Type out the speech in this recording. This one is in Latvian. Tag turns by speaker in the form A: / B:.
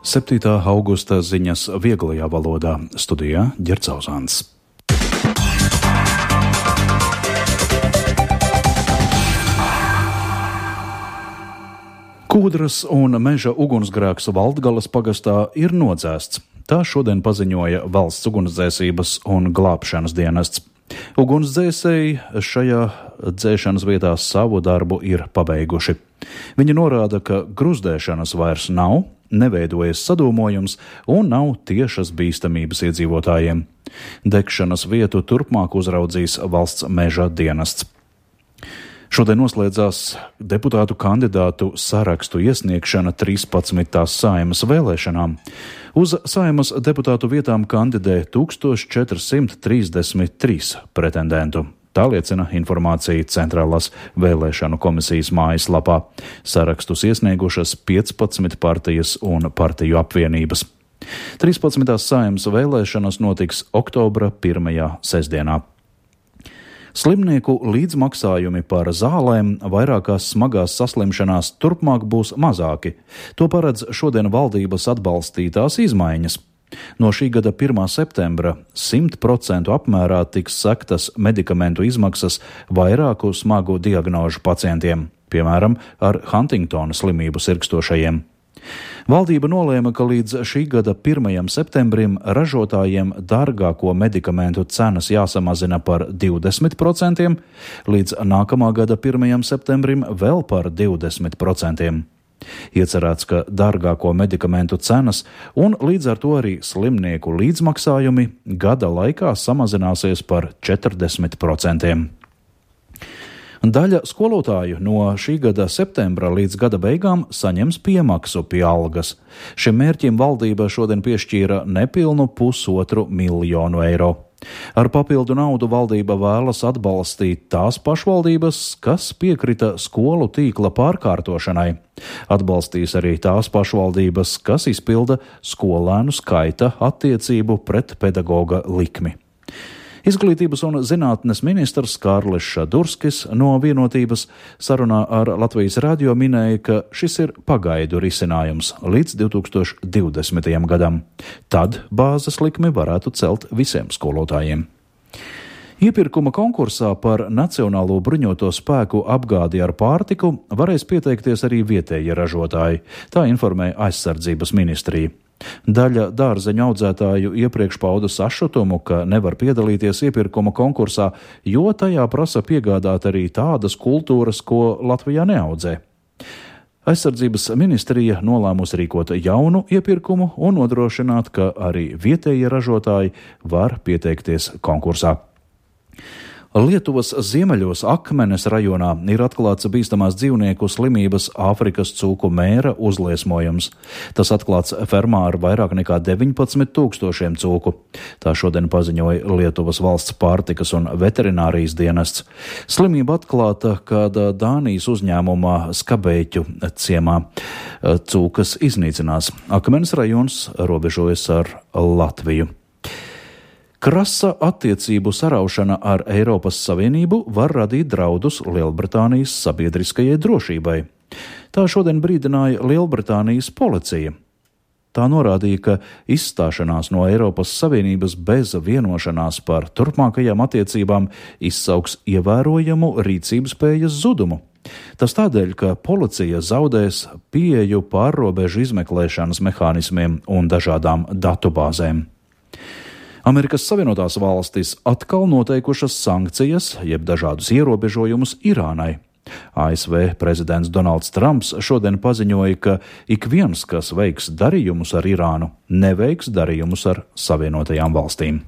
A: 7. augusta ziņas vieglajā valodā, studijā Ģercauzāns. Kūdras un meža ugunsgrēks Valdgalas pagastā ir nodzēsts. Tā šodien paziņoja Valsts ugunsdzēsības un glābšanas dienests. Ugunsdzēsēji šajā dzēšanas vietā savu darbu ir pabeiguši. Viņi norāda, ka gruzdēšanas vairs nav, neveidojas sadūmojums un nav tiešas bīstamības iedzīvotājiem. Degšanas vietu turpmāk uzraudzīs Valsts meža dienests. Šodien noslēdzās deputātu kandidātu sarakstu iesniegšana 13. Saeimas vēlēšanām. Uz Saeimas deputātu vietām kandidē 1433 pretendentu. Tā liecina informācija Centrālās vēlēšanu komisijas mājaslapā. Sarakstus iesniegušas 15 partijas un partiju apvienības. 13. Saeimas vēlēšanas notiks oktobra 1. sestdienā. Slimnieku līdzmaksājumi par zālēm vairākās smagās saslimšanās turpmāk būs mazāki. To paredz šodien valdības atbalstītās izmaiņas. No šī gada 1. septembra 100% apmērā tiks sektas medikamentu izmaksas vairāku smagu diagnožu pacientiem, piemēram, ar Huntingtona slimību sirgstošajiem. Valdība nolēma, ka līdz šī gada 1. septembrim ražotājiem dārgāko medikamentu cenas jāsamazina par 20%, līdz nākamā gada 1. septembrim vēl par 20%. Iecerēts, ka dārgāko medikamentu cenas un līdz ar to arī slimnieku līdzmaksājumi gada laikā samazināsies par 40%. Daļa skolotāju no šī gada septembra līdz gada beigām saņems piemaksu pie algas. Šim mērķim valdība šodien piešķīra nepilnu 1,5 miljonu eiro. Ar papildu naudu valdība vēlas atbalstīt tās pašvaldības, kas piekrita skolu tīkla pārkārtošanai. Atbalstīs arī tās pašvaldības, kas izpilda skolēnu skaita attiecību pret pedagoga likmi. Izglītības un zinātnes ministrs Kārlis Šadurskis no Vienotības sarunā ar Latvijas radio minēja, ka šis ir pagaidu risinājums līdz 2020. gadam. Tad bāzes likmi varētu celt visiem skolotājiem. Iepirkuma konkursā par Nacionālo bruņoto spēku apgādi ar pārtiku varēs pieteikties arī vietējie ražotāji, tā informēja aizsardzības ministrija. Daļa dārzeņu audzētāju iepriekš pauda sašutumu, ka nevar piedalīties iepirkuma konkursā, jo tajā prasa piegādāt arī tādas kultūras, ko Latvijā neaudzē. Aizsardzības ministrija nolēmusi rīkot jaunu iepirkumu un nodrošināt, ka arī vietējie ražotāji var pieteikties konkursā. Lietuvas ziemeļos Akmenes rajonā ir atklāts bīstamās dzīvnieku slimības Āfrikas cūku mēra uzliesmojums. Tas atklāts fermā ar vairāk nekā 19,000 cūku. Tā šodien paziņoja Lietuvas valsts pārtikas un veterinārijas dienests. Slimība atklāta kāda Dānijas uzņēmumā Skabēķu ciemā. Cūkas iznīcinās. Akmenes rajons robežojas ar Latviju. Krasa attiecību saraušana ar Eiropas Savienību var radīt draudus Lielbritānijas sabiedriskajai drošībai. Tā šodien brīdināja Lielbritānijas policija. Tā norādīja, ka izstāšanās no Eiropas Savienības bez vienošanās par turpmākajām attiecībām izsauks ievērojamu rīcības spējas zudumu. Tas tādēļ, ka policija zaudēs pieeju pārrobežu izmeklēšanas mehānismiem un dažādām datubāzēm. Amerikas Savienotās valstis atkal noteikušas sankcijas, jeb dažādus ierobežojumus Irānai. ASV prezidents Donalds Trumps šodien paziņoja, ka ik viens, kas veiks darījumus ar Irānu, neveiks darījumus ar Savienotajām valstīm.